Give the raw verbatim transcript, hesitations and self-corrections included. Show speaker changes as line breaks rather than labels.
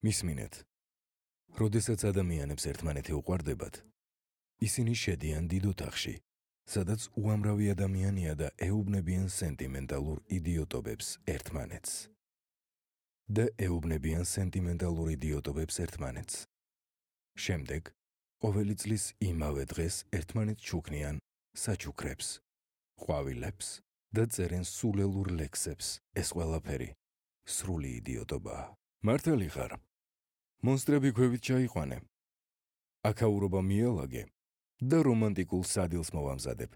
მისმინეთ, როდესაც ადამიანებს ერთმანეთი უყვარდებათ, ისინი შედიან დიდ ოთახში, სადაც უამრავი ადამიანია და ეუბნებიან სენტიმენტალურ იდიოტობებს ერთმანეთს. და ეუბნებიან სენტიმენტალურ იდიოტობებს ერთმანეთს. შემდეგ, ყოველი წლის იმავე დღეს ერთმანეთს ჩუქნიან საჩუქრებს, ყვავილებს და წერენ სულელურ ლექსებს. ეს ყველაფერი სრული იდიოტობაა. მართალი ხარ? მონსტრები ქვევით ჩაიყვანე. აქაურობა მიალაგე და რომანტიკულ სადილს მოვამზადებ.